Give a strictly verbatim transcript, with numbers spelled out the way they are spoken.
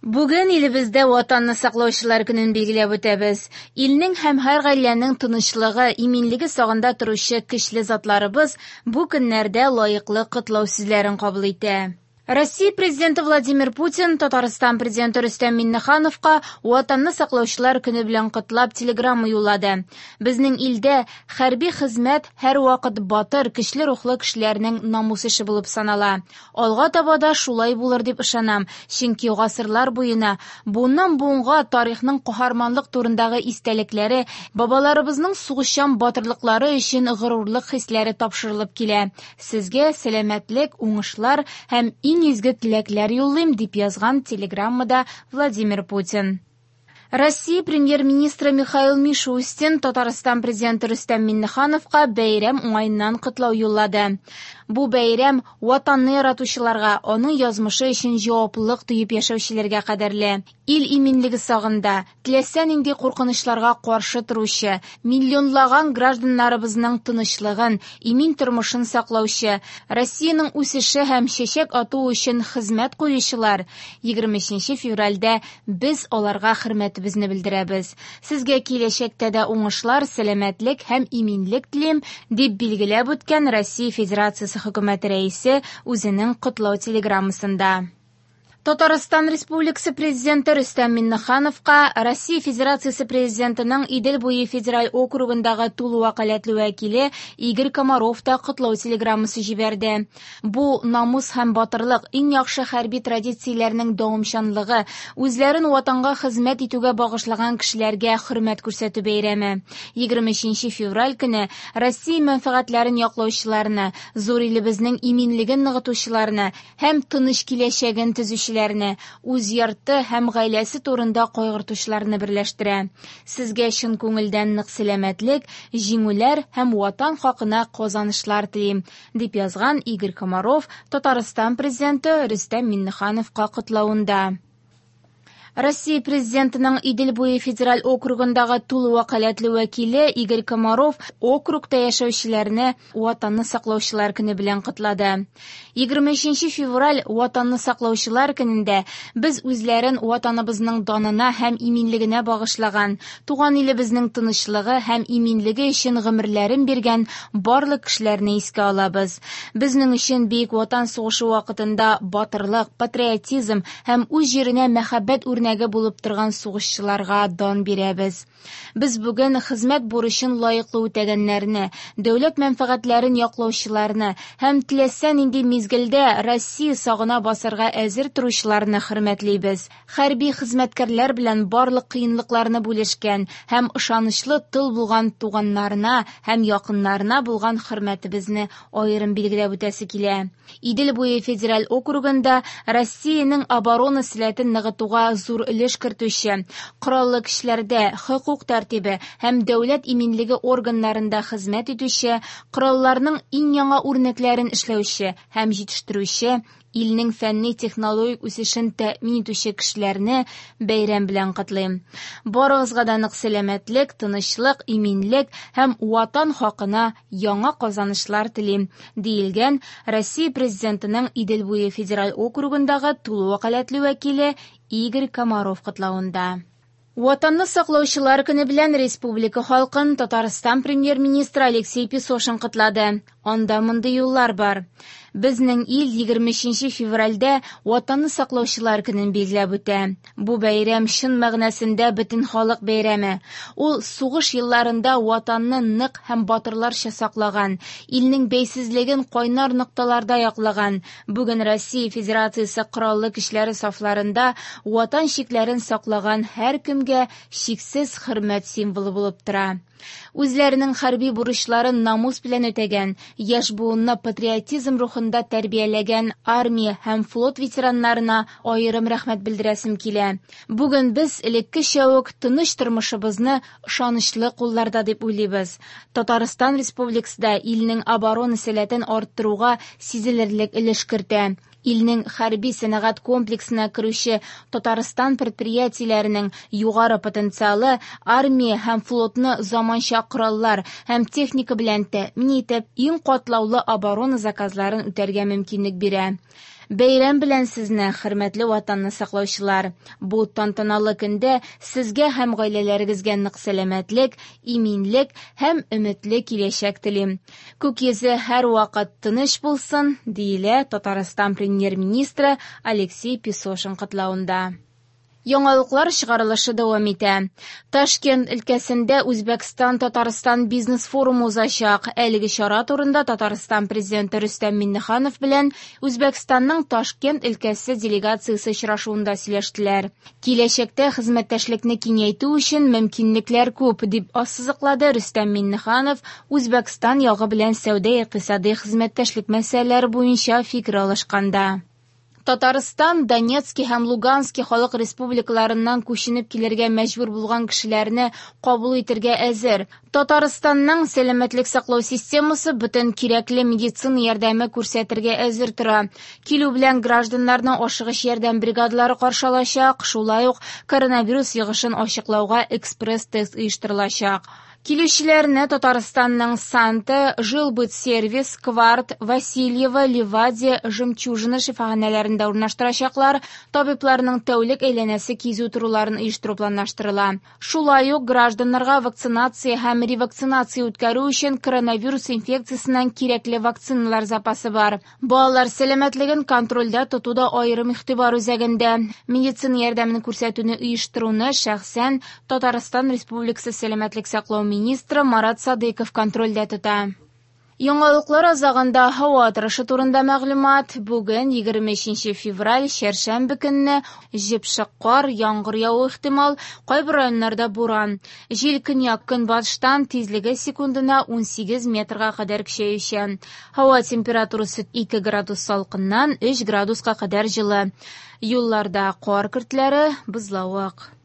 Бүген илебездә Ватанны саклаучылар көнен билгеләп үтәбез. Илнең һәм һәр гаиләнең тынычлыгы, иминлеге сагында торучы көчле затларыбыз бу көннәрдә лаеклы котлау сүзләрен кабул итә. Россия Президенты Владимир Путин Татарстан Президенты Рөстәм Миңнехановка Ватанны саклаучылар көне белән котлап телеграмма юллады. Безнең илдә хәрби хезмәт һәрвакыт батыр, көчле рухлы кешеләрнең намус эше булып санала. Алга таба да шулай булыр дип ышанам, чөнки гасырлар буена буыннан буынга тарихның каһарманлык турындагы истәлекләре, бабаларыбызның сугышчан батырлыклары өчен горурлык хисләре тапшырылып килә. Сезгә сәламәтлек, уңышлар һәм иң изге теләкләр юллыйм, дип язган телеграммада Владимир Путин. Россия премьер-министры Михаил Мишустин Татарстан президенты Рөстәм Миңнехановка бәйрәм уңаеннан котлау юллады. Бу бәйрәм Ватанны яратучыларга, аның язмышы өчен җаваплылык тоеп яшәүчеләргә кадерле. Ил иминлеге сагында, теләсә нинди куркынычларга каршы торучы, миллионлаган гражданнарыбызның тынычлыгын, имин тормышын саклаучы, Россиянең үсеше һәм чәчәк атуы өчен хезмәт куючылар егерме өченче февральдә без аларга хөрмәтебезне белдерәбез. Сезгә киләчәктә дә уңышлар, сәламәтлек һәм иминлек телим, дип билгеләп үткән Россия Федерациясе хөкүмәте рәисе үзенең котлау телеграммасында. Татарстан Республикасы Президенты Рөстәм Миңнехановка Россия Федерациясе Президентының Идел буе федераль округындагы тулы вәкаләтле вәкиле Игорь Комаров та котлау телеграммасы җибәрде. Бу намус һәм батырлык, иң яхшы хәрби традицияләрнең дәвамчанлыгы, үзләрен ватанга хезмәт итүгә багышлаган кешеләргә хөрмәт күрсәтү бәйрәме. Егерме өченче февраль көне Россия мәнфәгатьләрен яклаучыларны, зур илебезнең иминлеген ныгытучыларны һәм тыныч киләчәген төзүчеләрне, үз йорты һәм гаиләсе турында кайгыртучыларны берләштерә. Сезгә чын күңелдән нык сәламәтлек, җиңүләр һәм ватан хакына казанышлар телим, дип язган Игорь Комаров Татарстан Президенты Рөстәм Миңнехановка котлавында. Россия Президентының Идел буе федераль округындагы тулы вәкаләтле вәкиле Игорь Комаров округта яшәүчеләрне Ватанны саклаучылар көне белән котлады. Егерме өченче февраль Ватанны саклаучылар көнендә без үзләрен ватаныбызның данына һәм иминлегенә багышлаган, туган илебезнең тынычлыгы һәм иминлеге өчен гомерләрен биргән барлык кешеләрне искә алабыз. Безнең өчен Бөек Ватан сугышы вакытында батырлык, патриотизм һәм үз җиренә мәхәббәт үрнәге булып торган сугышчыларга дан бирәбез. Без бүген хезмәт бурычын лаеклы үтәгәннәрне, дәүләт мәнфәгатьләрен яклаучыларны һәм теләсә нинди мизгелдә Россия сагына басарга әзер торучыларны хөрмәтлибез. Хәрби хезмәткәрләр белән барлык кыенлыкларны бүлешкән һәм ышанычлы тыл булган туганнарына һәм якыннарына булган хөрмәтебезне аерым билгеләп үтәсе килә. Идел буе федераль округында Россиянең оборона сәләтен ныгытуга зур өлеш кертүче, кораллы көчләрдә, хокук тәртибе һәм дәүләт иминлеге органнарында хезмәт итүче, коралларның иң яңа үрнәкләрен эшләүче һәм җитештерүче, илнең фәнни технологик үсешен тәэмин итүче кешеләрне бәйрәм белән котлыйм. Барыгызга да нык сәламәтлек, тынычлык, иминлек һәм ватан хакына яңа казанышлар телим, диелгән Россия Президентының Идел буе федераль округындагы тулы вәкаләтле вәкиле Игорь Комаров котлавында. Ватанны саклаучылар көне белән республика халкын Татарстан премьер-министры Алексей Песошин котлады. Анда мондый юллар бар. Безнең ил егерме өченче февральдә Ватанны саклаучылар көнен билгеләп үтә. Бу бәйрәм чын мәгънәсендә бөтен халык бәйрәме. Ул сугыш елларында ватанны нык һәм батырларча саклаган, илнең бәйсезлеген кайнар нокталарда яклаган. Бүген Россия Федерациясе Кораллы Көчләре сафларында ватан чикләрен саклаган һәркемгә чиксез хөрмәт символы булып тора. Үзләренең хәрби бурычларын намус белән үтәгән, яшь буынны патриотизм рухында тәрбияләгән армия һәм флот ветераннарына аерым рәхмәт белдерәсем килә. Бүген без элеккечә үк тыныч тормышыбызны ышанычлы кулларда дип уйлыйбыз. Татарстан Республикасы да илнең оборона сәләтен арттыруга сизелерлек өлеш кертә. Илнең хәрби сәнәгать комплексына керүче Татарстан предприятиеләренең югары потенциалы армия һәм флотны заманча кораллар һәм техника белән тәэмин итеп, иң катлаулы оборона заказларын үтәргә мөмкинлек бирә. Бәйрәм белән сезне, хөрмәтле Ватанны саклаучылар! Бу тантаналы көндә сезгә һәм гаиләләрегезгә нык сәламәтлек, иминлек һәм өметле киләчәк телим. Күк йөзе һәрвакыт тыныч булсын, диелә Татарстан премьер-министры Алексей Песошин котлавында. Яңалыклар чыгарылышы дәвам итә. Ташкент өлкәсендә Үзбәкстан-Татарстан бизнес-форумы узачак. Әлеге чара турында Татарстан президенты Рөстәм Миңнеханов белән Үзбәкстанның Ташкент өлкәсе делегациясе очрашуында сөйләштеләр. Киләчәктә хезмәттәшлекне киңәйтү өчен мөмкинлекләр күп, дип ассызыклады Рөстәм Миңнеханов Үзбәкстан ягы белән сәүдә-икътисади хезмәттәшлек мәсьәләләре буенча фикер алышканда. Татарстан Донецки һәм Лугански халык республикаларыннан күченеп килергә мәҗбүр булган кешеләрне кабул итәргә әзер. Татарстанның сәламәтлек саклау системасы бөтен кирәкле медицина ярдәме күрсәтергә әзер тора. Килү белән гражданнарны ашыгыч ярдәм бригадалары каршы алачак, шулай ук коронавирус йогышын ачыклауга экспресс-тест оештырылачак. Килүчеләрне Татарстанның Санта, Жилбытсервис, Кварт, Васильево, Ливадия, Жемчужина шифаханәләрендә урнаштырачаклар, табибларның тәүлек әйләнәсе кизү торуларын оештыру планлаштырыла. Шулай ук гражданнарга вакцинация һәм ревакцинация үткәрү өчен коронавирус инфекциясеннән кирәкле вакциналар запасы бар. Балалар сәламәтлеген контрольдә тоту да аерым игътибар үзәгендә. Медицина ярдәмен күрсәтүне оештыруны шәхсән Татарстан Республикасы сәламәтлек саклау министры Марат Садыков контрольдә тота. Яңалыклар азагында һава торышы турында мәгълүмат. Бүген егерме өченче февраль, чәршәмбе көнне җепшек кар, яңгыр явуы ихтимал, кайбер районнарда буран. Җил көньяк-көнбатыштан, тизлеге секундына унсигез метрга кадәр көчәючән. Һава температурасы ике градус салкыннан өч градуска кадәр җылы. Юлларда кар көртләре, бозлавык.